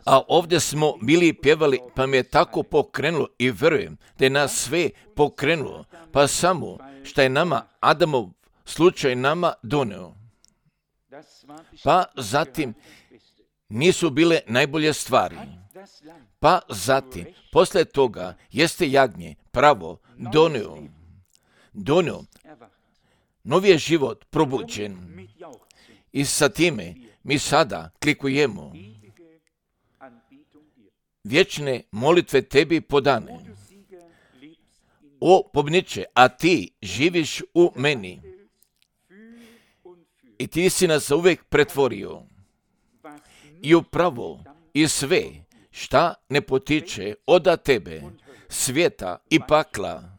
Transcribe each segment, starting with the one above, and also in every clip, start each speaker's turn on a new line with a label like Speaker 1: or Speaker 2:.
Speaker 1: A ovdje smo bili pjevali, pa me je tako pokrenulo i vjerujem da je nas sve pokrenulo, pa samo što je nama Adamov slučaj nama doneo. Pa zatim nisu bile najbolje stvari. Pa zatim, poslije toga, jeste jagnje pravo donio, novi je život probuđen. I sa time mi sada klikujemo vječne molitve tebi podane. O pobjedniče, a ti živiš u meni i ti si nas uvijek pretvorio i upravo i sve šta ne potiče od tebe, svijeta i pakla,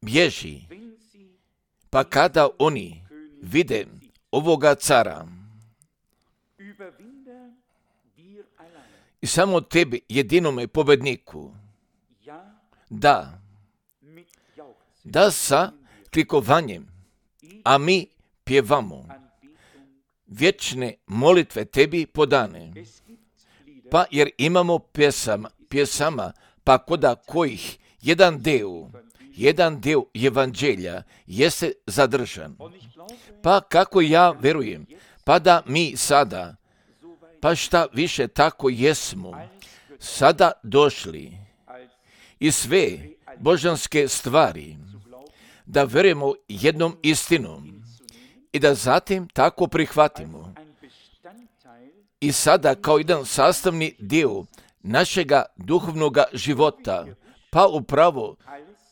Speaker 1: bježi. Pa kada oni vide ovoga cara i samo tebi, jedinome pobjedniku, da sa klikovanjem, a mi pjevamo vječne molitve tebi podane. Pa jer imamo pjesama, pa koda kojih jedan deo evanđelja jeste zadržan. Pa kako ja verujem, pa da mi sada, pa šta više tako jesmo, sada došli i sve božanske stvari, da verujemo jednom istinom i da zatim tako prihvatimo. I sada kao jedan sastavni dio našega duhovnoga života, pa upravo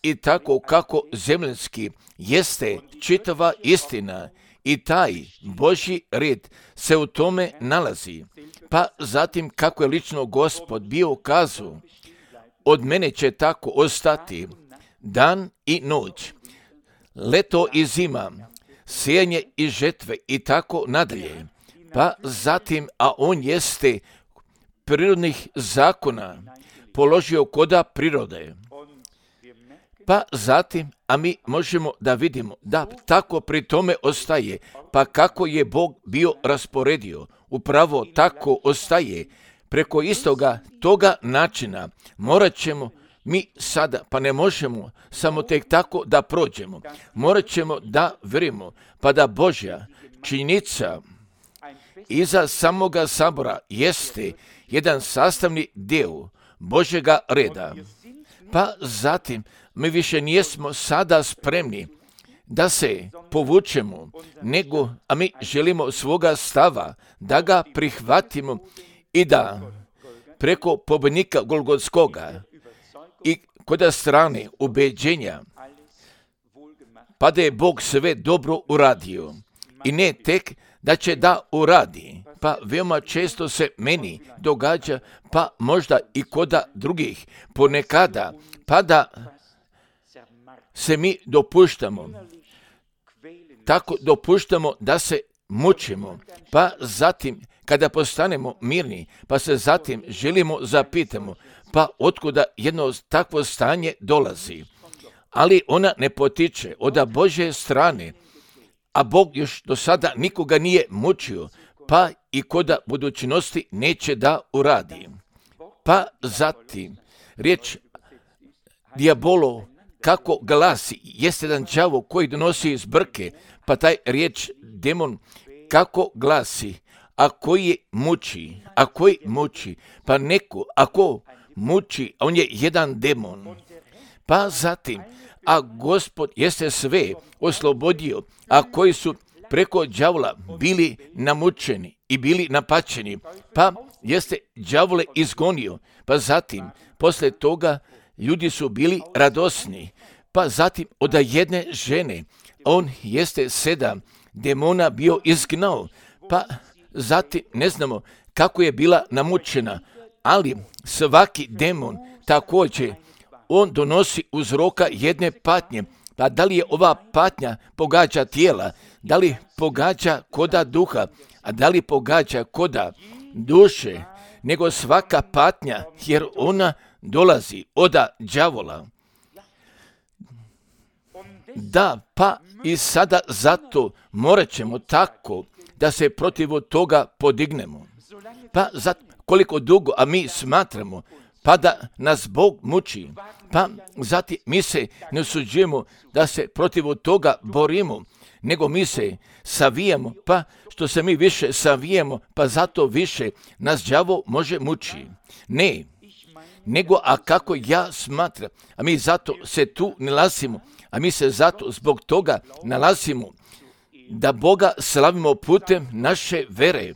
Speaker 1: i tako kako zemljanski jeste čitava istina i taj Božji red se u tome nalazi. Pa zatim kako je lično Gospod bio kazao, od mene će tako ostati dan i noć, leto i zima, sijanje i žetve i tako nadalje. Pa zatim, a on jeste prirodnih zakona položio koda prirode. Pa zatim, a mi možemo da vidimo da tako pri tome ostaje, pa kako je Bog bio rasporedio, upravo tako ostaje. Preko istoga toga načina morat ćemo mi sada, pa ne možemo samo tek tako da prođemo. Morat ćemo da verimo, pa da Božja činjenica iza samoga sabora jeste jedan sastavni dio Božjega reda. Pa zatim mi više nismo sada spremni da se povučemo, nego, a mi želimo svoga stava da ga prihvatimo i da preko pobjednika Golgotskoga i kod strane ubeđenja, pa da je Bog sve dobro uradio i ne tek da će da uradi. Pa veoma često se meni događa, pa možda i koda drugih ponekada, pa da se mi dopuštamo da se mučimo, pa zatim kada postanemo mirni, pa se zatim želimo zapitamo, pa otkuda jedno takvo stanje dolazi. Ali ona ne potiče od Božje strane, a Bog još do sada nikoga nije mučio, pa i koda budućnosti neće da uradi. Pa zatim, riječ dijabolo kako glasi, jeste jedan đavo koji donosi zbrke, pa taj riječ demon kako glasi, a koji muči, pa neko, ako muči, on je jedan demon. Pa zatim, a Gospod jeste sve oslobodio, a koji su preko đavola bili namučeni i bili napačeni, pa jeste đavole izgonio, pa zatim, posle toga, ljudi su bili radosni, pa zatim od jedne žene, on jeste 7 demona bio izgnao, pa zatim ne znamo kako je bila namučena, ali svaki demon također, on donosi uzroka jedne patnje, pa da li je ova patnja pogađa tijela, da li pogađa koda duha, a da li pogađa koda duše, nego svaka patnja, jer ona dolazi od đavola. Da, pa i sada zato morat ćemo tako da se protiv toga podignemo. Pa koliko dugo, a mi smatramo, pa da nas Bog muči, pa zatim mi se ne usuđujemo da se protiv toga borimo, nego mi se savijamo, pa što se mi više savijamo, pa zato više nas đavo može muči. Ne, nego a kako ja smatram, a mi zato se tu nalazimo, a mi se zato zbog toga nalazimo, da Boga slavimo putem naše vere,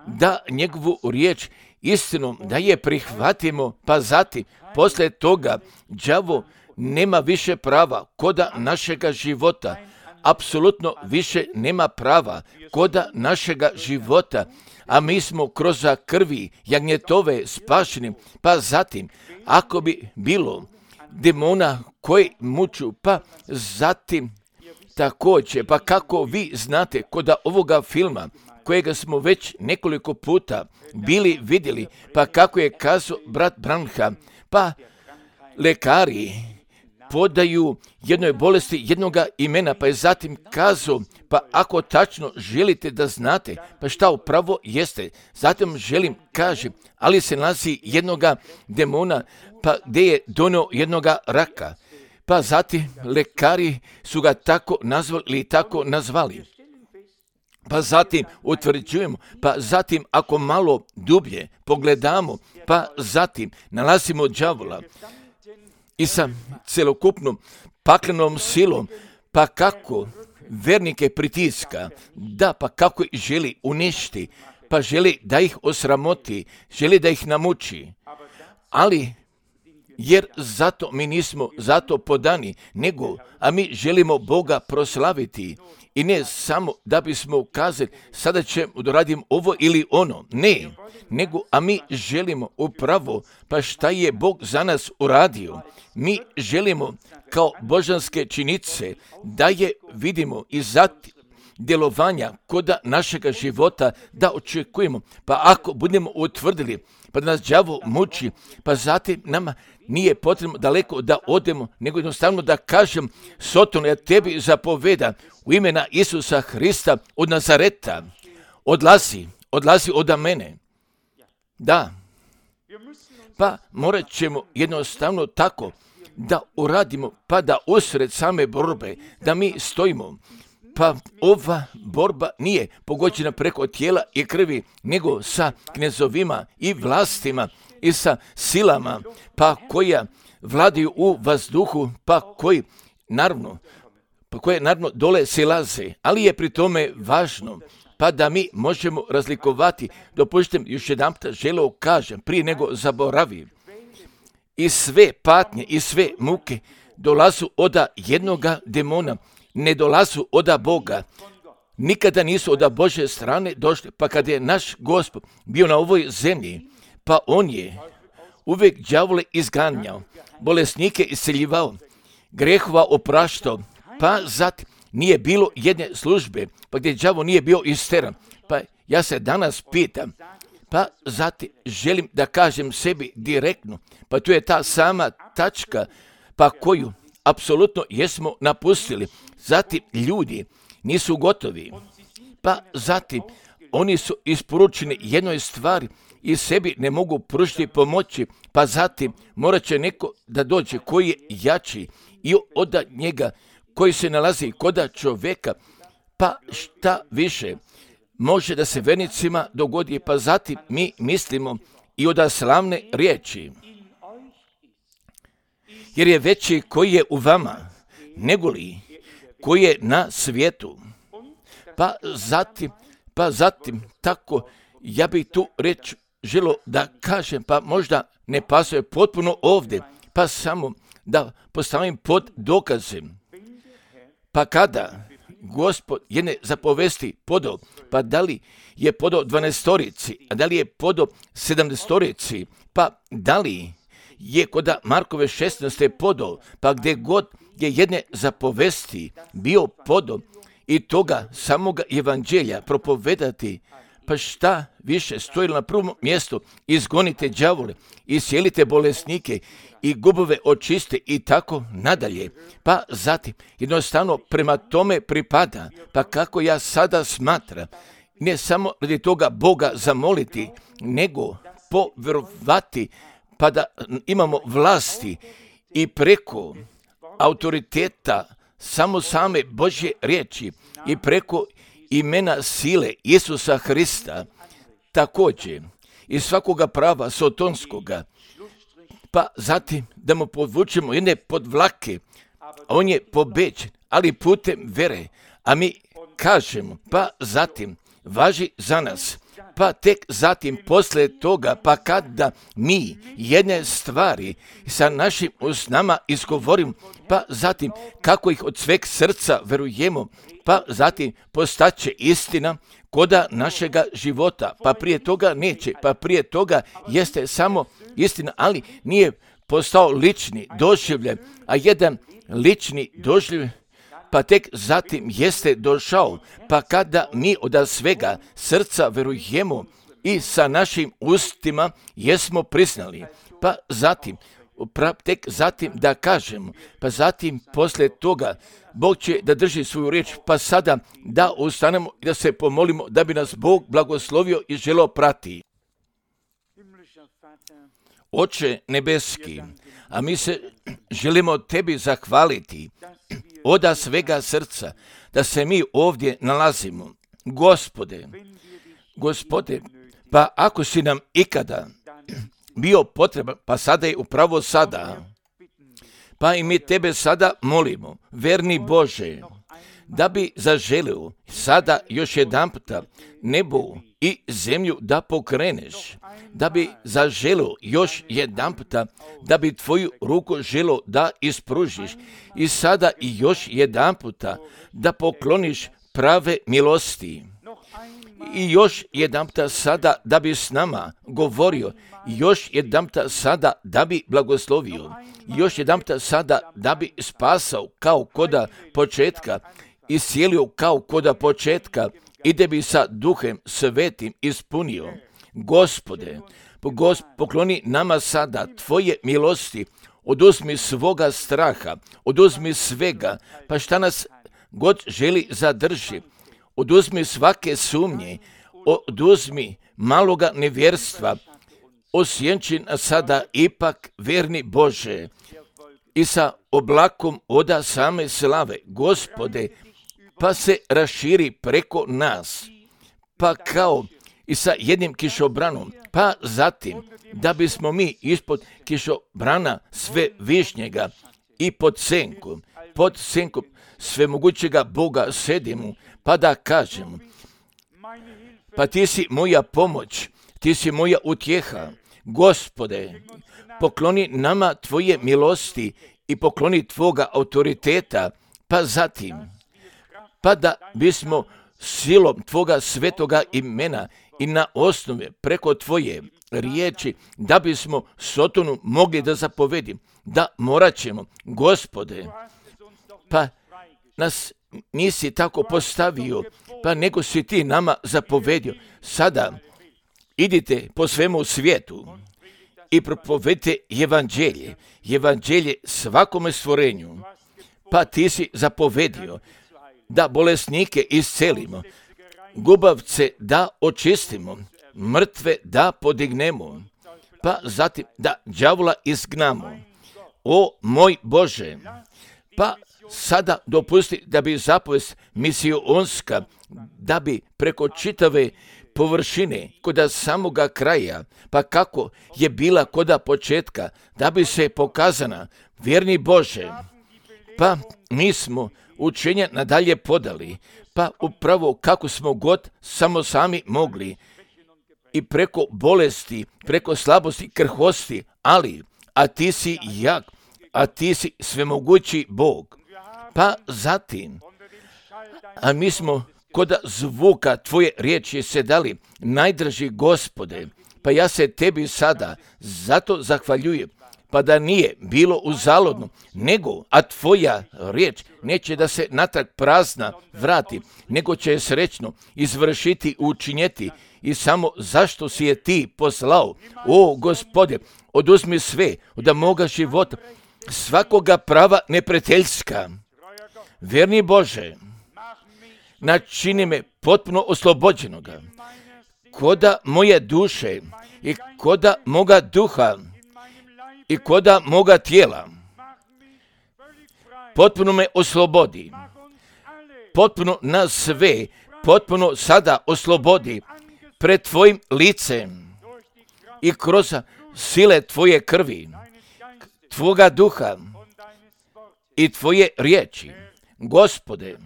Speaker 1: da njegovu riječ istinom, da je prihvatimo, pa zatim poslije toga đavo nema više prava koda našega života, apsolutno više nema prava koda našega života, a mi smo kroz krvi jagnjetove spašeni, pa zatim ako bi bilo demona koji muču, pa zatim također, pa kako vi znate koda ovoga filma kojega smo već nekoliko puta bili vidjeli, pa kako je kazao brat Branham, pa lekari podaju jednoj bolesti jednoga imena, pa je zatim kazao, pa ako tačno želite da znate, pa šta upravo jeste, zatim želim, kaže, ali se nalazi jednoga demona, pa gdje je donio jednoga raka, pa zatim lekari su ga tako nazvali ili tako nazvali. Pa zatim utvrđujemo, pa zatim ako malo dublje pogledamo, pa zatim nalazimo đavola i sa celokupnom paklenom silom, pa kako vernike pritiska, da pa kako ih želi uništi, pa želi da ih osramoti, želi da ih namuči, ali jer zato mi nismo zato podani, nego, a mi želimo Boga proslaviti i ne samo da bismo ukazali sada ćemo da radim ovo ili ono, ne, nego, a mi želimo upravo, pa šta je Bog za nas uradio, mi želimo kao božanske činice da je vidimo i zatim djelovanja koda našega života da očekujemo, pa ako budemo utvrdili, pa da nas đavo muči, pa zatim nama nije potrebno daleko da odemo, nego jednostavno da kažem, Sotone, ja tebi zapoveda u imena Isusa Hrista od Nazareta, odlazi od mene. Da, pa morat ćemo jednostavno tako da uradimo, pa da usred same borbe, da mi stojimo. Pa ova borba nije pogođena preko tijela i krvi, nego sa knezovima i vlastima i sa silama, pa koja vladaju u vazduhu, pa koje naravno dole silaze, ali je pri tome važno, pa da mi možemo razlikovati, dopustite još jedanput želeo kažem, prije nego zaboravim, i sve patnje i sve muke dolazu od jednoga demona, ne dolazu od Boga, nikada nisu od Božje strane došli, pa kad je naš Gospod bio na ovoj zemlji, pa on je uvijek đavole izganjao, bolesnike isceljivao, grehova opraštao, pa zatim nije bilo jedne službe, pa gdje đavo nije bio isteran. Pa ja se danas pitam, pa zatim želim da kažem sebi direktno, pa tu je ta sama tačka, pa koju apsolutno jesmo napustili. Zatim ljudi nisu gotovi, pa zatim oni su isporučeni jednoj stvari i sebi ne mogu pružiti pomoći, pa zatim morat će neko da dođe koji je jači i od njega koji se nalazi koda čovjeka, pa šta više može da se vernicima dogodi, pa zatim mi mislimo i od slavne riječi. Jer je veći koji je u vama, negoli koji je na svijetu. Pa zatim tako ja bih tu reč želo da kažem, pa možda ne pasuje potpuno ovdje, pa samo da postavim pod dokazem. Pa kada Gospod jedne zapovesti podao, pa da li je podao 12-torici, a da li je podao 70-torici, pa da li je kod Markove 16. podao, pa gdje god je jedne zapovesti bio podao i toga samoga evanđelja propovedati, pa šta više stojilo na prvom mjestu, izgonite đavole, iscijelite bolesnike i gubove očiste i tako nadalje. Pa zatim jednostavno prema tome pripada, pa kako ja sada smatram ne samo radi toga Boga zamoliti, nego povjerovati pa da imamo vlasti i preko autoriteta samo same Božje riječi i preko imena sile Isusa Hrista, također i svakoga prava sotonskoga, pa zatim da mu podvučemo jedne podvlake, on je pobeđen, ali putem vere, a mi kažemo, pa zatim važi za nas, pa tek zatim poslije toga, pa kada mi jedne stvari sa našim usnama izgovorimo, pa zatim kako ih od sveg srca verujemo, pa zatim postaće istina koda našega života, pa prije toga neće, pa prije toga jeste samo istina, ali nije postao lični doživljaj, a jedan lični doživljaj pa tek zatim jeste došao, pa kada mi od svega srca verujemo i sa našim ustima jesmo priznali, pa zatim tek zatim da kažemo, pa zatim poslije toga Bog će da drži svoju riječ, pa sada da ustanemo i da se pomolimo da bi nas Bog blagoslovio i želeo prati. Oče nebeski, a mi se želimo tebi zahvaliti od svega srca da se mi ovdje nalazimo. Gospode, pa ako si nam ikada bio potreban, pa sada je upravo sada, pa i mi tebe sada molimo, verni Bože, da bi zaželio sada još jedanputa nebo i zemlju da pokreneš, da bi zaželio još jedanputa, da bi tvoju ruku želio da ispružiš i sada i još jedanputa da pokloniš prave milosti. I još jedanputa sada da bi s nama govorio, još jedanputa sada da bi blagoslovio, još jedanputa sada da bi spasao kao koda početka, iscijelio kao koda početka i da bi sa Duhem Svetim ispunio. Gospode, pokloni nama sada tvoje milosti, oduzmi svoga straha, oduzmi svega, pa šta nas god želi zadrži, oduzmi svake sumnje, oduzmi maloga nevjerstva, osjenči nas sada ipak verni Bože i sa oblakom oda same slave, Gospode, pa se raširi preko nas, pa kao i sa jednim kišobranom, pa zatim da bismo mi ispod kišobrana sve višnjega i pod senkom svemogućega Boga sedimo, pa da kažemo, pa ti si moja pomoć, ti si moja utjeha, Gospode, pokloni nama tvoje milosti i pokloni tvoga autoriteta, pa zatim, pa da bismo silom tvoga svetoga imena i na osnove preko tvoje riječi, da bismo Sotonu mogli da zapovedim, da morat ćemo, Gospode, pa nas nisi tako postavio, pa nego si ti nama zapovedio. Sada idite po svemu svijetu i propovedite evanđelje svakome stvorenju, pa ti si zapovedio da bolesnike iscelimo, gubavce da očistimo, mrtve da podignemo, pa zatim da đavola izgnamo. O moj Bože, pa sada dopusti da bi zapovest misionska, da bi preko čitave površine, koda samoga kraja, pa kako je bila koda početka, da bi se pokazana, vjerni Bože, pa mi smo učenja nadalje podali, pa upravo kako smo god samo sami mogli, i preko bolesti, preko slabosti, krhosti, ali, a ti si jak, a ti si svemogući Bog. Pa zatim, a mi smo kod zvuka tvoje riječi se dali, najdraži Gospode, pa ja se tebi sada zato zahvaljujem, pa da nije bilo uzaludno, nego, a tvoja riječ neće da se natrag prazna vrati, nego će srećno izvršiti, učinjeti, i samo zašto si je ti poslao. O Gospode, oduzmi sve od moga života, svakoga prava neprijateljska. Vjerni Bože, načini me potpuno oslobođenoga, koda moje duše i koda moga duha i koda moga tijela. Potpuno me oslobodi, potpuno nas sve, potpuno sada oslobodi pred tvojim licem i kroz sile tvoje krvi, tvoga duha i tvoje riječi. Gospode,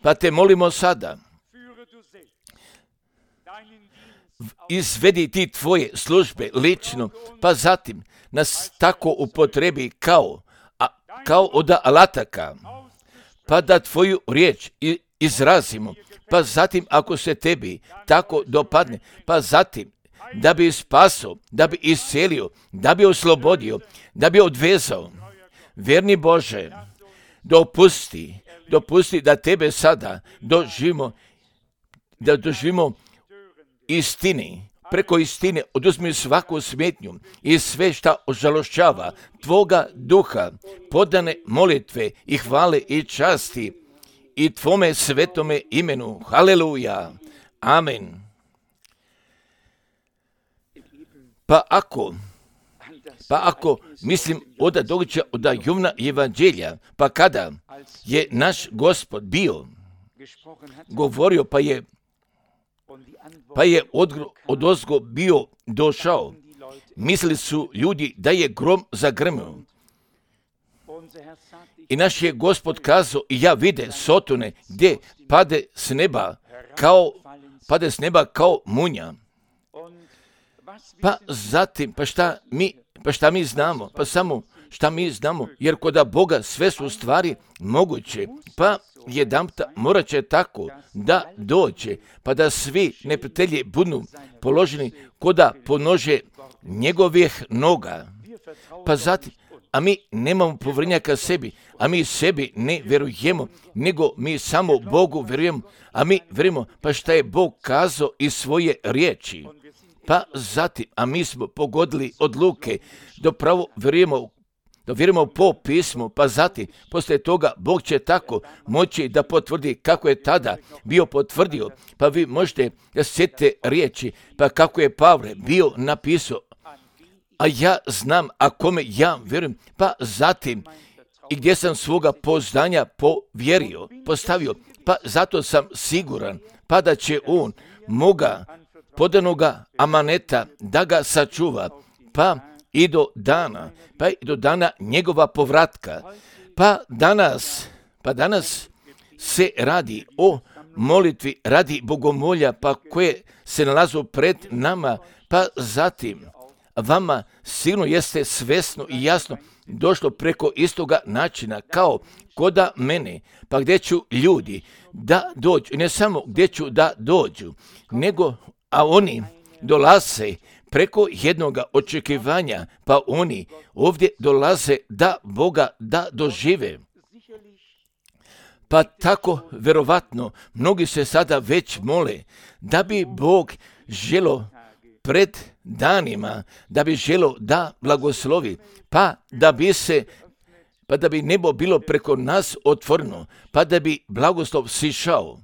Speaker 1: pa te molimo sada, izvedi ti tvoje službe lično, pa zatim nas tako upotrebi kao od alataka, pa da tvoju riječ izrazimo, pa zatim ako se tebi tako dopadne, pa zatim da bi spasao, da bi iscelio, da bi oslobodio, da bi odvezao. Verni Bože, dopusti da tebe sada doživimo istini, preko istine oduzmi svaku smetnju i sve šta ožalošćava tvoga duha, podane molitve i hvale i časti i tvome svetome imenu. Haleluja. Amen. Pa ako mislim od događaja od Jovana evanđelja, pa kada je naš Gospod bio govorio, pa je odozgo bio došao, mislili su ljudi da je grom zagrmio. I naš je Gospod kazao, i ja vide sotone gdje pade s neba kao munja. Pa zatim, šta mi znamo? Pa samo šta mi znamo, jer kod Boga sve su stvari moguće, pa jedanputa morat će tako da dođe, pa da svi neprijatelji budu položeni koda ponože njegovih noga. Pa zatim, a mi nemamo povjerenja ka sebi, a mi sebi ne vjerujemo, nego mi samo Bogu vjerujemo, a mi vjerujemo pa šta je Bog kazao iz svoje riječi. Pa zatim, a mi smo pogodili odluke, dopravo vjerujemo po pismu, pa zatim, poslije toga, Bog će tako moći da potvrdi kako je tada bio potvrdio, pa vi možete da sjetite riječi, pa kako je Pavle bio napisao, a ja znam, a kome ja vjerujem, pa zatim, i gdje sam svoga poznanja postavio, pa zato sam siguran, pa da će on moga podanoga amaneta da ga sačuva, pa i do dana njegova povratka. Pa danas se radi o molitvi radi bogomolja, pa koje se nalazu pred nama, pa zatim vama sigurno jeste svesno i jasno došlo preko istoga načina kao koda mene, pa gdje ću ljudi da dođu, i ne samo gdje ću da dođu, a oni dolaze preko jednoga očekivanja, pa oni ovdje dolaze da Boga da dožive. Pa tako, vjerovatno, mnogi se sada već mole da bi Bog želo pred danima, da bi želo da blagoslovi, pa da bi nebo bilo preko nas otvoreno, pa da bi blagoslov sišao.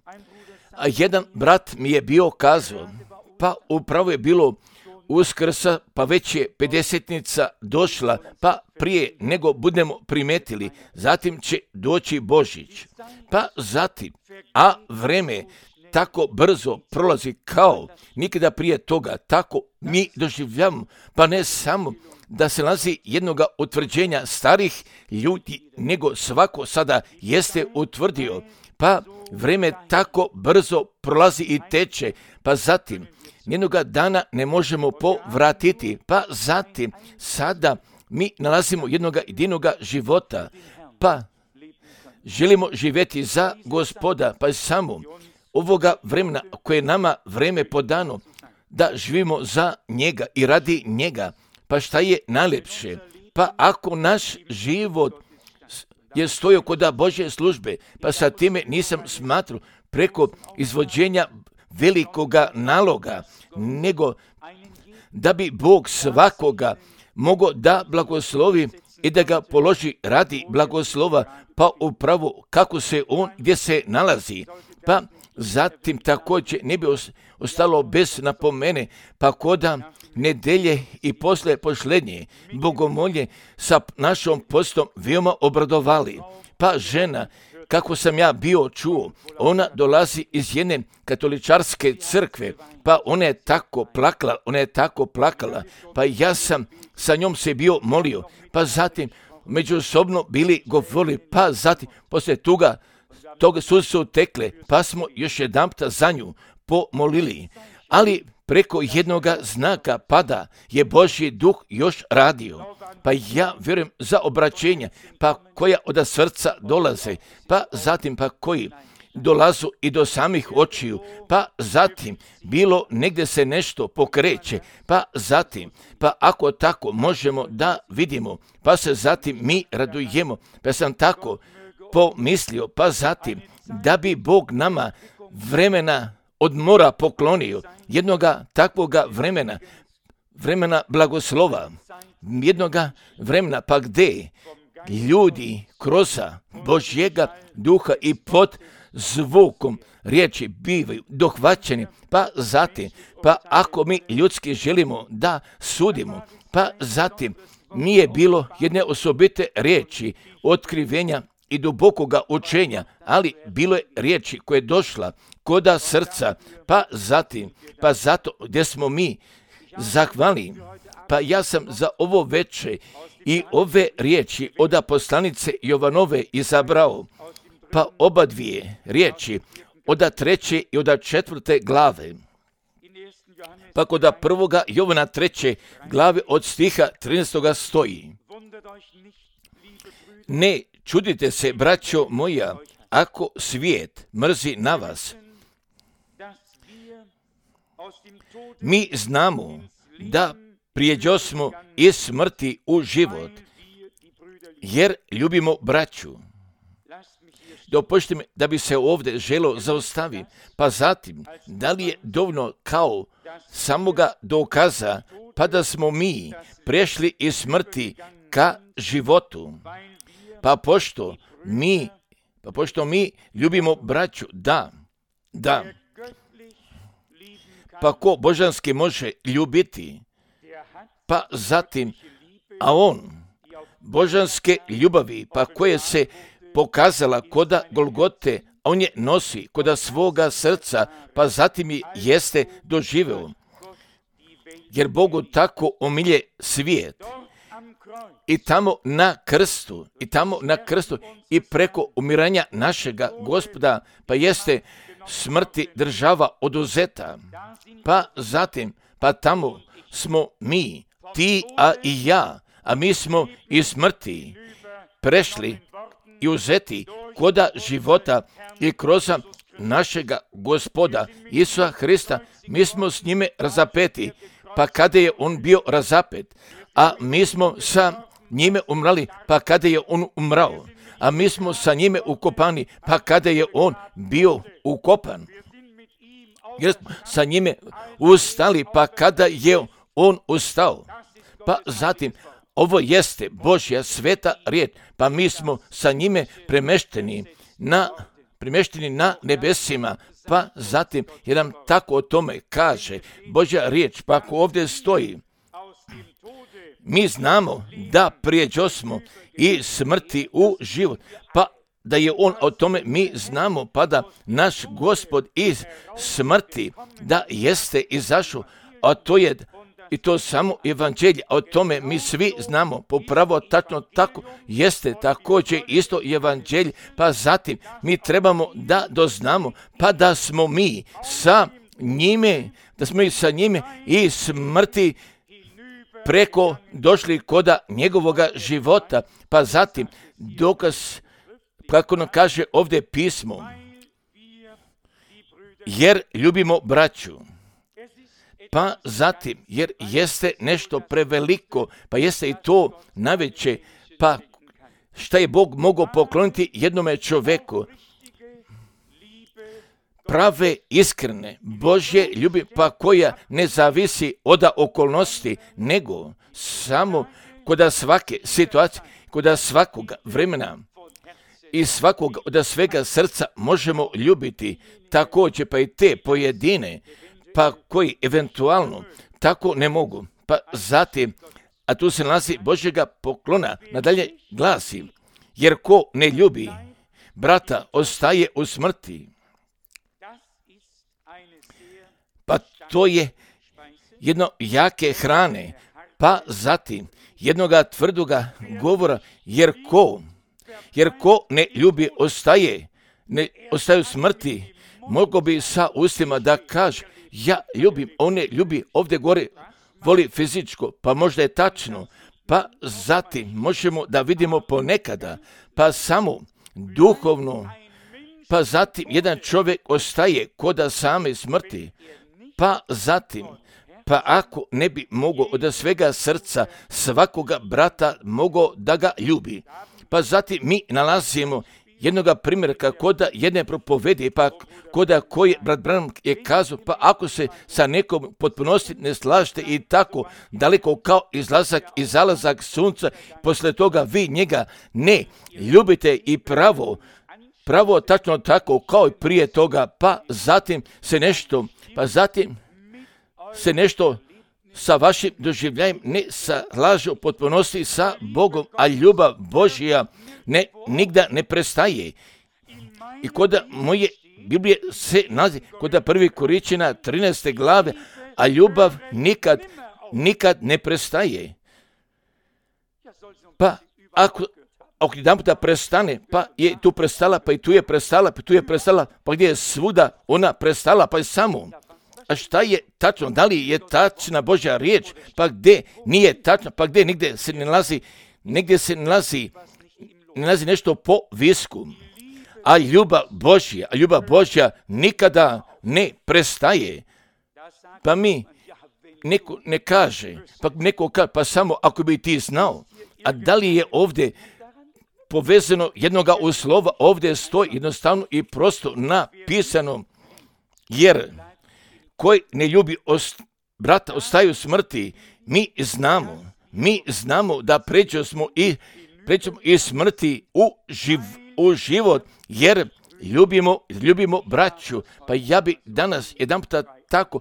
Speaker 1: A jedan brat mi je bio kazao, pa upravo je bilo Uskrsa, pa već je 50-nica došla, pa prije nego budemo primetili, zatim će doći Božić. Pa zatim, a vreme tako brzo prolazi kao nikada prije toga, tako mi doživljavamo, pa ne samo da se nalazi jednoga utvrđenja starih ljudi, nego svako sada jeste utvrdio, pa vreme tako brzo prolazi i teče, pa zatim jednoga dana ne možemo povratiti, pa zatim sada mi nalazimo jednoga jedinoga života, pa želimo živjeti za Gospoda, pa samo ovoga vremena koje je nama vreme podano, da živimo za njega i radi njega, pa šta je najljepše? Pa ako naš život je stojao kod Božje službe, pa sa time nisam smatrao preko izvođenja velikoga naloga, nego da bi Bog svakoga mogao da blagoslovi i da ga položi radi blagoslova, pa upravo kako se on gdje se nalazi. Pa zatim također ne bi ostalo bez napomene, pa koda nedelje i posle posljednje bogomolje sa našom postom veoma obradovali. Pa žena, kako sam ja bio čuo, ona dolazi iz jedne katoličarske crkve, pa ona je tako plakala, pa ja sam sa njom se bio molio, pa zatim međusobno bili govorili, pa zatim poslije toga su tekle, pa smo još jedanputa za nju pomolili, ali preko jednoga znaka pada je Božji duh još radio, pa ja vjerujem za obraćenja, pa koja od srca dolaze, pa zatim pa koji dolazu i do samih očiju, pa zatim bilo negdje se nešto pokreće, pa zatim, pa ako tako možemo da vidimo, pa se zatim mi radujemo, pa sam tako pomislio, pa zatim da bi Bog nama vremena odmora poklonio, jednoga takvoga vremena blagoslova, jednoga vremena pa gdje ljudi kroz Božjega duha i pod zvukom riječi bivaju dohvaćeni, pa zatim, pa ako mi ljudski želimo da sudimo, pa zatim nije bilo jedne osobite riječi otkrivenja i dubokoga učenja, ali bilo je riječi koje je došla koda srca, pa zatim, pa zato gdje smo mi zahvalni, pa ja sam za ovo veče i ove riječi od poslanice Jovanove izabrao, pa oba dvije riječi od 3. i od 4. glave. Pa kod 1. Jovana 3. glave od stiha 13. stoji: Ne čudite se, braćo moja, ako svijet mrzi na vas. Mi znamo da prijeđosmo iz smrti u život, jer ljubimo braću. Dopušti mi da bi se ovdje želo zaustaviti, pa zatim, da li je dovoljno kao samoga dokaza, pa da smo mi prešli iz smrti ka životu, pa pošto mi ljubimo braću, da, pa ko božanski može ljubiti, pa zatim, a on božanske ljubavi, pa koje se pokazala koda Golgote, a on je nosi koda svoga srca, pa zatim je jeste doživeo. Jer Bogu tako omilje svijet. I tamo na krstu i preko umiranja našega Gospoda, pa jeste smrti država oduzeta. Pa zatim, pa tamo smo mi, ti, a i ja, a mi smo iz smrti prešli i uzeti koda života i kroz našega Gospoda Isusa Hrista, mi smo s njime razapeti, pa kada je on bio razapet, a mi smo sa njime umrali, pa kada je on umrao, a mi smo sa njime ukopani, pa kada je on bio ukopan, jer smo sa njime ustali, pa kada je on ustao, pa zatim ovo jeste Božja sveta riječ, pa mi smo sa njime premješteni na nebesima, pa zatim jedan tako o tome kaže Božja riječ, pa ako ovdje stoji, mi znamo da prijeđosmo i smrti u život, pa da je on o tome mi znamo, pa da naš Gospod iz smrti da jeste izašao, a to je i to samo evanđelje, a o tome mi svi znamo, popravo tačno tako jeste također isto evanđelje, pa zatim mi trebamo da doznamo, pa da smo mi sa njime i smrti preko došli koda njegovoga života, pa zatim dokaz, kako nam kaže ovdje pismo, jer ljubimo braću. Pa zatim, jer jeste nešto preveliko, pa jeste i to najveće, pa šta je Bog mogao pokloniti jednome čovjeku? Prave, iskrene, Božje ljubi, pa koja ne zavisi od okolnosti, nego samo kod svake situacije, kod svakoga vremena i svakog od svega srca možemo ljubiti, također pa i te pojedine, pa koji eventualno tako ne mogu. Pa zatim, a tu se nalazi Božjega poklona, nadalje glasi, jer ko ne ljubi brata ostaje u smrti. Pa to je jedno jake hrane, pa zatim jednoga tvrdoga govora, jer ko ne ljubi ostaje u smrti. Mogu bi sa ustima da kaže, ja ljubim, on ne ljubi, ovdje gore voli fizičko, pa možda je tačno, pa zatim možemo da vidimo ponekada, pa samo duhovno, pa zatim jedan čovjek ostaje koda same smrti, pa zatim, pa ako ne bi mogao od svega srca svakoga brata mogao da ga ljubi, pa zatim mi nalazimo jednoga primjerka koda jedne propovedi, pa koda koji brat Branham je kazao, pa ako se sa nekom potpunosti ne slažete i tako daleko kao izlazak i zalazak sunca, posle toga vi njega ne ljubite i pravo tačno tako kao i prije toga, pa zatim se nešto sa vašim doživljajem ne slaže u potpunosti sa Bogom, a ljubav Božja nigda ne prestaje. I koda moje Biblije se nalazi koda 1. Korinćana 13. glave, a ljubav nikad ne prestaje. Pa ako jedan puta prestane, pa je tu prestala, pa i tu je prestala, pa tu je prestala, pa gdje je svuda ona prestala, pa je samo. A šta je tačno? Da li je tačna Božja riječ? Pa gdje nije tačno? Pa gdje nigdje se ne nalazi nešto po visku? A ljubav Božja nikada ne prestaje. Pa mi neko ne kaže, pa samo ako bi ti znao. A da li je ovdje povezano jednoga u slova? Ovdje stoji jednostavno i prosto napisano, jer koji ne ljubi brata ostaje u smrti. Mi znamo da pređemo iz smrti u život, jer ljubimo braću. Pa ja bi danas jedan puta tako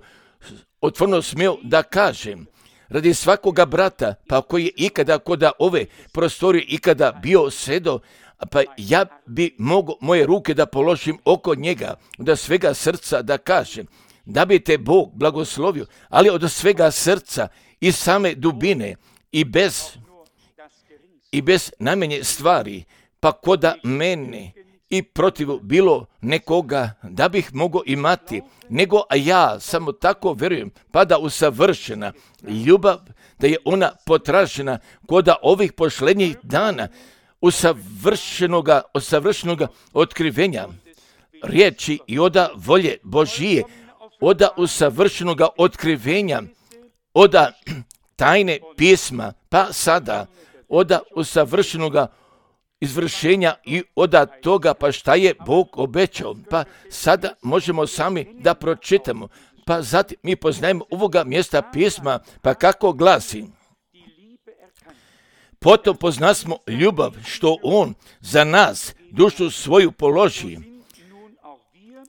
Speaker 1: otvoreno smio da kažem, radi svakoga brata, pa koji je ikada koda ove prostorije ikada bio sedo, pa ja bi mogao moje ruke da položim oko njega, da svega srca da kažem, da bi te Bog blagoslovio, ali od svega srca i same dubine i bez najmanje stvari, pa koda mene i protiv bilo nekoga da bih mogao imati, nego a ja samo tako vjerujem, pa da usavršena ljubav, da je ona potražena koda ovih posljednjih dana, usavršenoga otkrivenja riječi i oda volje Božije, oda usavršenoga otkrivenja, oda tajne pisma, pa sada oda usavršenoga izvršenja i oda toga pa šta je Bog obećao. Pa sada možemo sami da pročitamo. Pa zatim mi poznajemo ovoga mjesta pisma, pa kako glasi. Potom poznasmo ljubav što on za nas dušu svoju položi.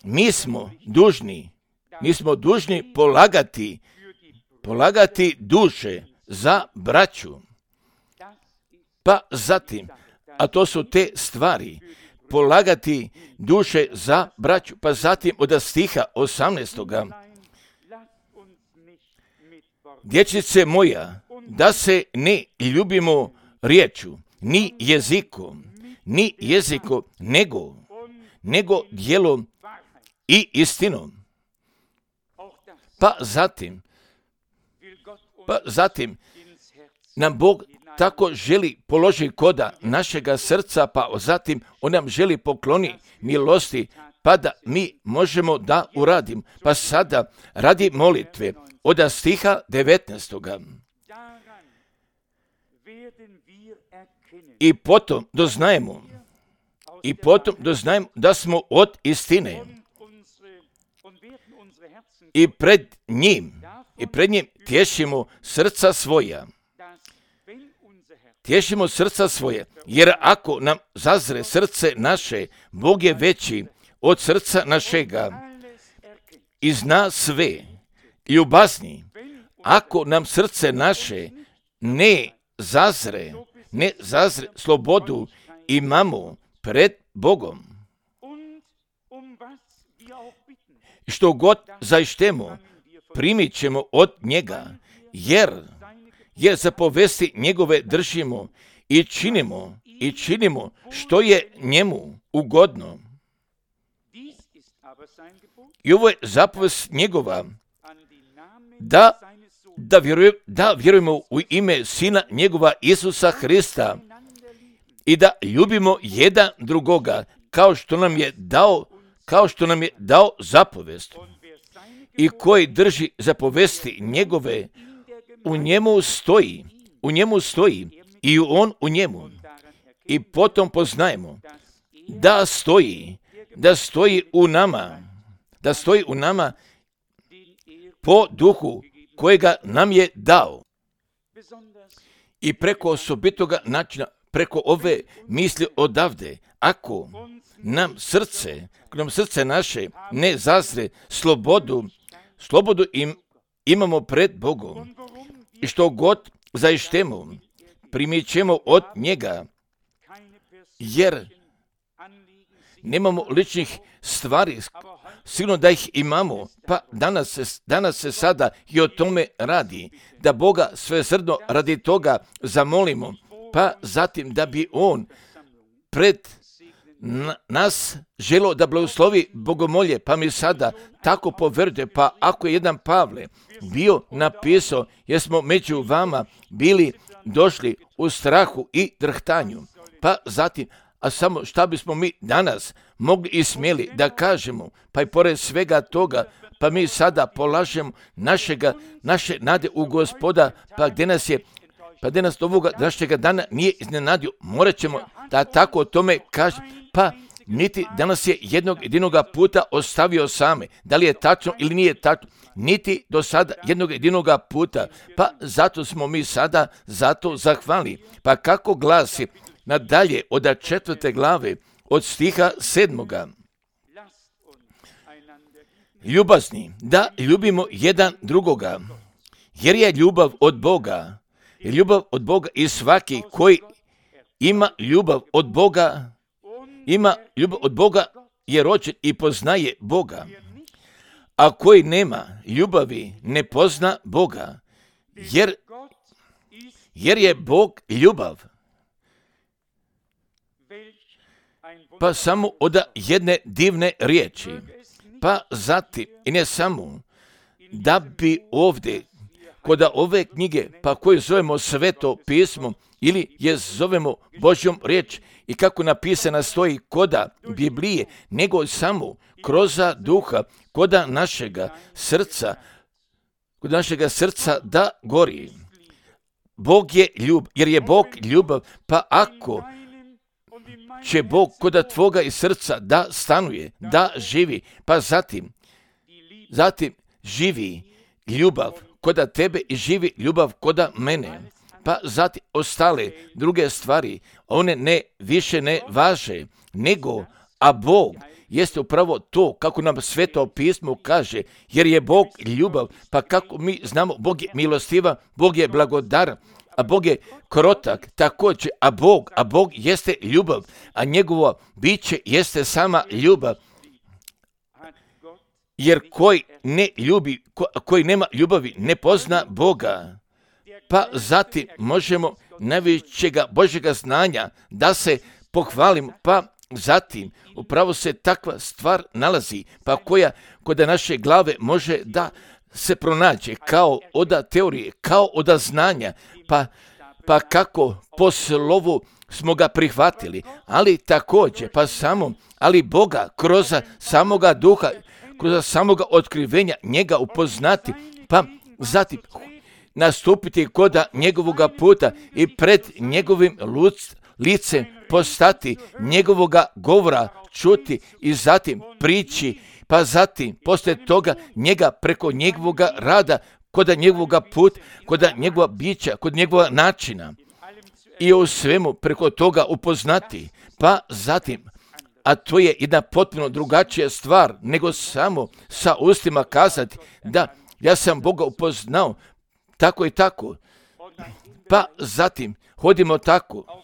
Speaker 1: Mi smo dužni polagati duše za braću. Pa zatim, a to su te stvari, polagati duše za braću, pa zatim od stiha 18. Dječice moja, da se ne ljubimo riječu, ni jezikom, nego djelom i istinom. Pa zatim nam Bog tako želi položi koda našega srca, pa zatim on nam želi pokloni milosti, pa da mi možemo da uradimo. Pa sada radi molitve od stiha 19. I potom doznajemo da smo od istine i pred njim tješimo srca svoja. tješimo srca svoje, jer ako nam zazre srce naše, Bog je veći od srca našega i zna sve, ljubazni. Ako nam srce naše ne zazre, slobodu imamo pred Bogom. Što god zaištemo, primit ćemo od njega, jer zapovesti njegove držimo i činimo što je njemu ugodno. I ovo je zapovest njegova, da vjerujemo u ime Sina njegova Isusa Hrista i da ljubimo jedan drugoga kao što nam je dao zapovest. I koji drži zapovesti njegove, u njemu stoji i on u njemu. I potom poznajemo da stoji u nama po duhu kojega nam je dao. I preko osobitoga načina, preko ove misli odavde, ako nam srce naše ne zazre slobodu imamo pred Bogom. I što god zaištemo, primit ćemo od njega, jer nemamo ličnih stvari, sigurno da ih imamo, pa danas se sada i o tome radi, da Boga svesrdno radi toga zamolimo, pa zatim da bi on pred nas želo da blagoslovi bogomolje, pa mi sada tako povjerujte, pa ako je jedan Pavle bio napisao, jer smo među vama bili došli u strahu i drhtanju, pa zatim, a samo šta bismo mi danas mogli i smjeli da kažemo, pa i pored svega toga, pa mi sada polažemo naše nade u Gospoda, pa gdje nas ovoga današnjega dana nije iznenadio, morat ćemo da tako o tome kažemo, pa niti danas je jednog jedinoga puta ostavio same, da li je tačno ili nije tačno, niti do sada jednog jedinoga puta, pa zato smo mi sada zato zahvalni. Pa kako glasi nadalje od 4. glave, od stiha 7. Ljubazni, da ljubimo jedan drugoga, jer je ljubav od Boga. I svaki koji ima ljubav od Boga je rođen i poznaje Boga. A koji nema ljubavi ne pozna Boga, jer je Bog ljubav. Pa samo od jedne divne riječi, pa zatim i ne samo da bi ovdje kod ove knjige, pa koju zovemo Sveto pismo ili je zovemo Božjom riječ i kako napisana stoji koda Biblije, nego samo kroz duha, koda našega srca da gori. Bog je jer je Bog ljubav, pa ako će Bog koda tvoga i srca da stanuje, da živi, pa zatim živi ljubav koda tebe i živi ljubav koda mene, pa zatim ostale druge stvari, one više ne važe, a Bog jeste upravo to, kako nam Sveto pismo kaže, jer je Bog ljubav, pa kako mi znamo, Bog je milostivan, Bog je blagodar, a Bog je krotak, također, a Bog jeste ljubav, a njegovo biće jeste sama ljubav. Jer koji nema ljubavi ne pozna Boga. Pa zatim možemo najvećega Božjega znanja da se pohvalimo, pa zatim upravo se takva stvar nalazi, pa koja kod naše glave može da se pronađe kao od teorije, kao od znanja, pa kako po slovu smo ga prihvatili, ali također, ali Boga kroz samoga duha, kroz samoga otkrivenja njega upoznati, pa zatim nastupiti kod njegovoga puta i pred njegovim licem postati, njegovoga govora čuti i zatim prići, pa zatim poslije toga njega preko njegovoga rada, kod njegovoga puta, kod njegova bića, kod njegova načina i u svemu preko toga upoznati. Pa zatim, a to je jedna potpuno drugačija stvar nego samo sa ustima kazati da ja sam Boga upoznao tako i tako. Pa zatim hodimo tako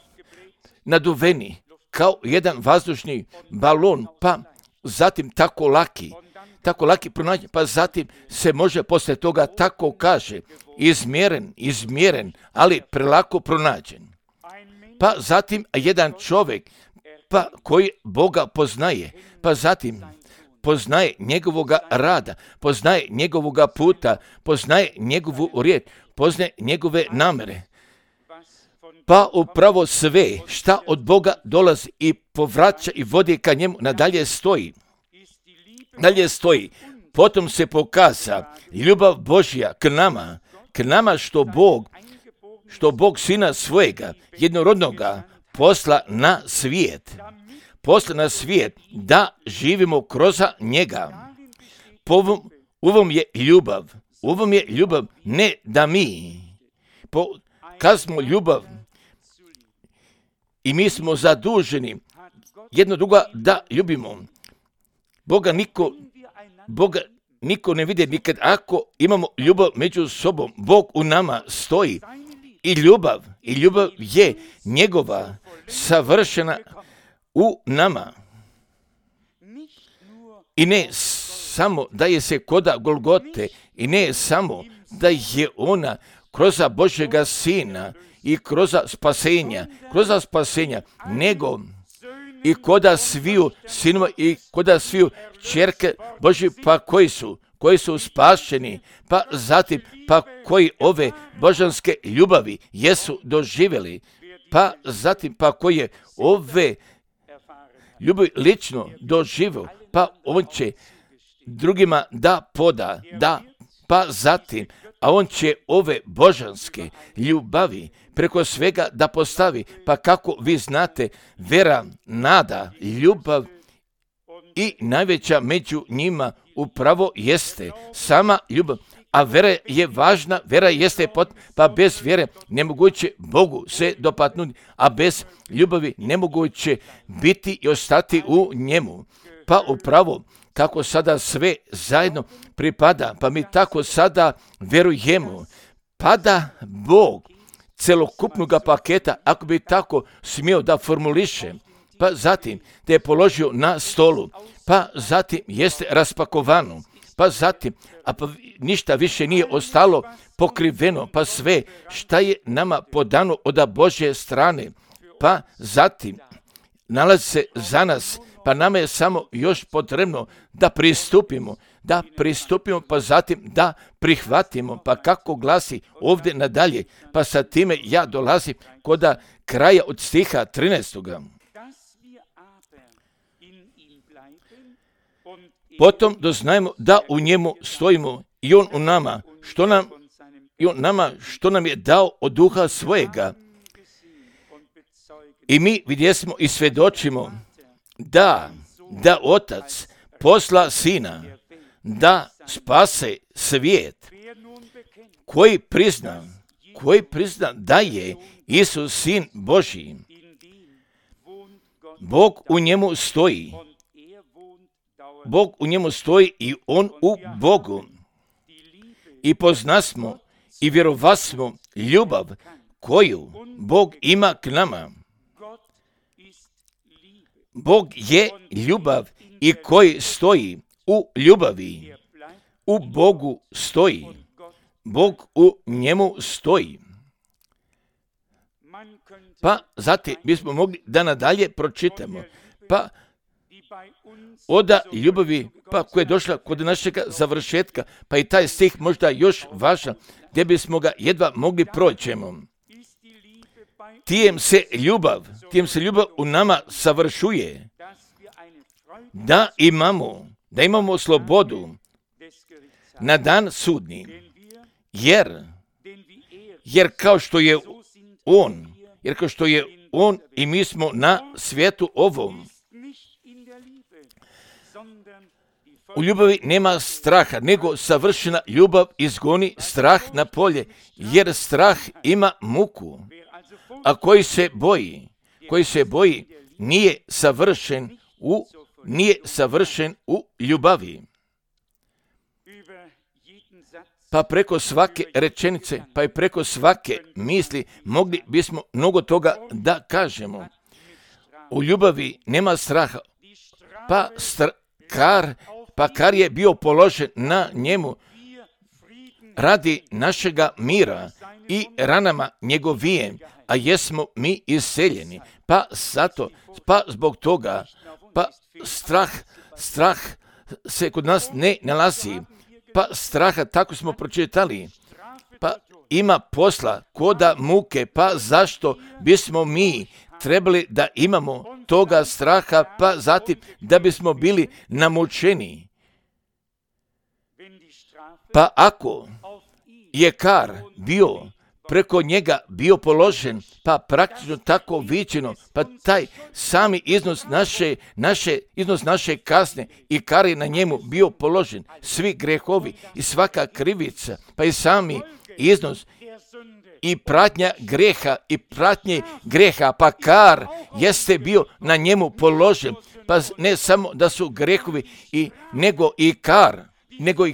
Speaker 1: naduveni kao jedan vazdušni balon, pa zatim tako laki pronađen, pa zatim se može poslije toga tako kaže izmjeren, ali prelako pronađen. Pa zatim jedan čovjek pa koji Boga poznaje, pa zatim poznaje njegovoga rada, poznaje njegovoga puta, poznaje njegovu riječ, poznaje njegove namere. Pa upravo sve šta od Boga dolazi i povraća i vodi ka njemu nadalje stoji. Potom se pokaza ljubav Božja k nama što Bog Sina svojega jednorodnoga posla na svijet da živimo kroz njega. U ovom je ljubav ne da mi pokazimo ljubav i mi smo zaduženi jedno drugo da ljubimo. Boga niko ne vidi nikad ako imamo ljubav među sobom. Bog u nama stoji i ljubav je njegova savršena u nama. I ne samo da je se koda Golgote i ne samo da je ona kroz Božjega Sina i kroz spasenja, nego i koda sviju sinova i koda sviju čerke Božji, pa koji su spašeni, pa zatim pa koji ove božanske ljubavi jesu doživjeli, pa zatim pa koje ove ljubavi lično doživio, pa on će drugima da poda, pa zatim, a on će ove božanske ljubavi preko svega da postavi, pa kako vi znate, vera, nada, ljubav i najveća među njima upravo jeste sama ljubav. A vera je važna, vera jeste pa bez vjere nemoguće Bogu se dopadnuti, a bez ljubavi nemoguće biti i ostati u njemu. Pa upravo kako sada sve zajedno pripada, pa mi tako sada verujemo, pada Bog celokupnog paketa, ako bi tako smio da formuliše, pa zatim te je položio na stolu, pa zatim jeste raspakovano, pa zatim, pa ništa više nije ostalo pokriveno, pa sve šta je nama podano od Božje strane, pa zatim nalazi se za nas, pa nama je samo još potrebno da pristupimo, pa zatim da prihvatimo, pa kako glasi ovdje nadalje, pa sa time ja dolazim kod kraja od stiha 13. Potom doznajemo da u njemu stojimo i on u nama, što nam je dao od duha svojega. I mi vidjesmo i svjedočimo da Otac posla Sina da spase svijet, koji prizna da je Isus Sin Božji. Bog u njemu stoji i on u Bogu. I poznasmo i vjerovasmo ljubav koju Bog ima k nama. Bog je ljubav i koji stoji u ljubavi. U Bogu stoji. Bog u njemu stoji. Pa zatim bismo mogli da nadalje pročitamo. Pa od ljubavi pa koja je došla kod našega završetka, pa i taj stih možda još važan, gdje bismo ga jedva mogli proćemo. Tijem se ljubav u nama savršuje, da imamo slobodu na dan sudni, jer kao što je on i mi smo na svijetu ovom. U ljubavi nema straha, nego savršena ljubav izgoni strah na polje, jer strah ima muku. a koji se boji, nije savršen u ljubavi. Pa preko svake rečenice, pa i preko svake misli mogli bismo mnogo toga da kažemo. U ljubavi nema straha, pa kar je bio položen na njemu radi našega mira i ranama njegovijem, a jesmo mi iseljeni. Pa zbog toga, strah se kod nas ne nalazi. Pa straha, tako smo pročitali, pa ima posla koda muke, pa zašto bismo mi trebali da imamo toga straha, pa zatim da bismo bili namučeni. Pa ako je kar bio preko njega bio položen, pa praktično tako viđeno, pa taj sami iznos naše kazne i kar je na njemu bio položen, svi grehovi i svaka krivica, pa i sami iznos i pratnja greha, pa kar jeste bio na njemu položen, pa ne samo da su grehovi, nego i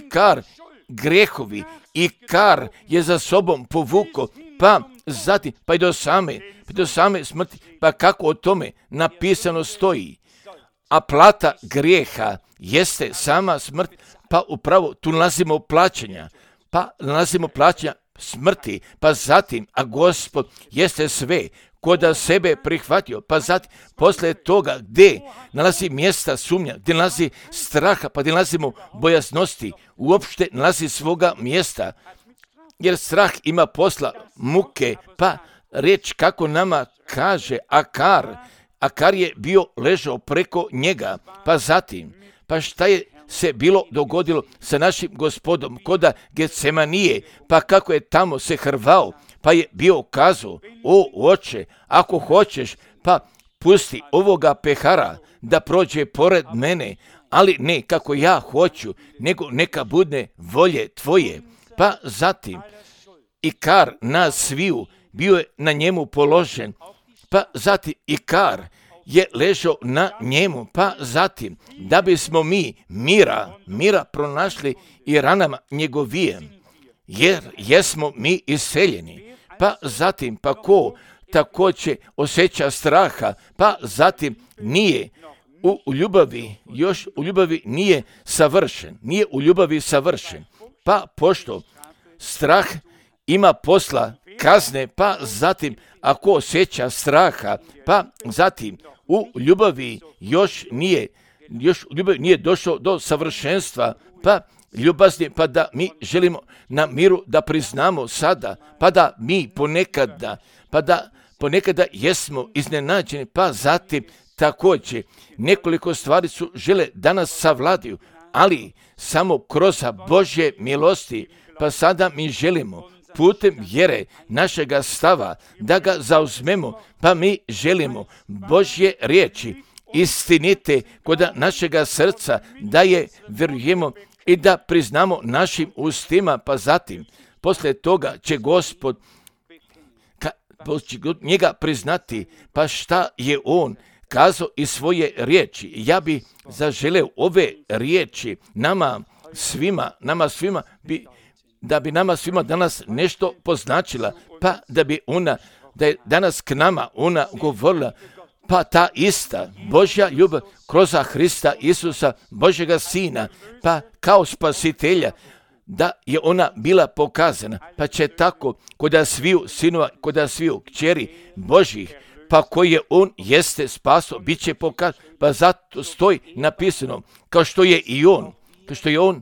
Speaker 1: kar grehovi i kar je za sobom povuko, pa zatim, pa i do same smrti, pa kako o tome napisano stoji. A plata grijeha jeste sama smrt, pa upravo tu nalazimo plaćanja smrti, pa zatim, a Gospod jeste sve koda sebe prihvatio, pa zatim, posle toga gdje nalazi mjesta sumnja, gdje nalazi straha, pa gdje nalazimo bojaznosti, uopšte nalazi svoga mjesta, jer strah ima posla muke, pa reč kako nama kaže, a kar je bio ležao preko njega, pa zatim, pa šta je se bilo dogodilo sa našim Gospodom koda Getsemanije, pa kako je tamo se hrvao, pa je bio kazao, o oče, ako hoćeš, pa pusti ovoga pehara da prođe pored mene, ali ne kako ja hoću, nego neka bude volje tvoje. Pa zatim, i kar nas sviju bio je na njemu položen, pa zatim i kar je ležao na njemu, pa zatim, da bismo mi mira pronašli i ranama njegovijem, jer jesmo mi iseljeni. Pa zatim, pa ko također osjeća straha, pa zatim nije u ljubavi nije savršen, pa pošto strah ima posla kazne, pa zatim ako osjeća straha, pa zatim u ljubavi još nije došao do savršenstva, pa ljubazni, pa da mi želimo na miru da priznamo sada, pa da mi ponekada jesmo iznenađeni, pa zatim također nekoliko stvari su žele da nas savladaju, ali samo kroz Božje milosti, pa sada mi želimo putem vjere našega stava da ga zauzmemo, pa mi želimo Božje riječi istinite kod našega srca, da je vjerujemo i da priznamo našim ustima, pa zatim poslije toga će Gospod njega priznati, pa šta je on kazao iz svoje riječi. Ja bi zaželeo ove riječi nama svima da bi nama svima danas nešto poznačila, pa da je danas k nama ona govorila, pa ta ista Božja ljubav kroz Hrista Isusa, Božjega Sina, pa kao spasitelja, da je ona bila pokazana, pa će tako kod sviju sinova, kod sviju kćeri Božjih, pa koje on jeste spaso, bit će pokazan, pa zato stoji napisano, kao što je on,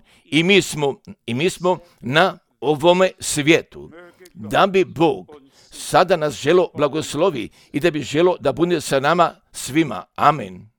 Speaker 1: i mi smo na ovome svijetu, da bi Bog sada nas želo blagoslovi i da bi želo da bude sa nama svima. Amen.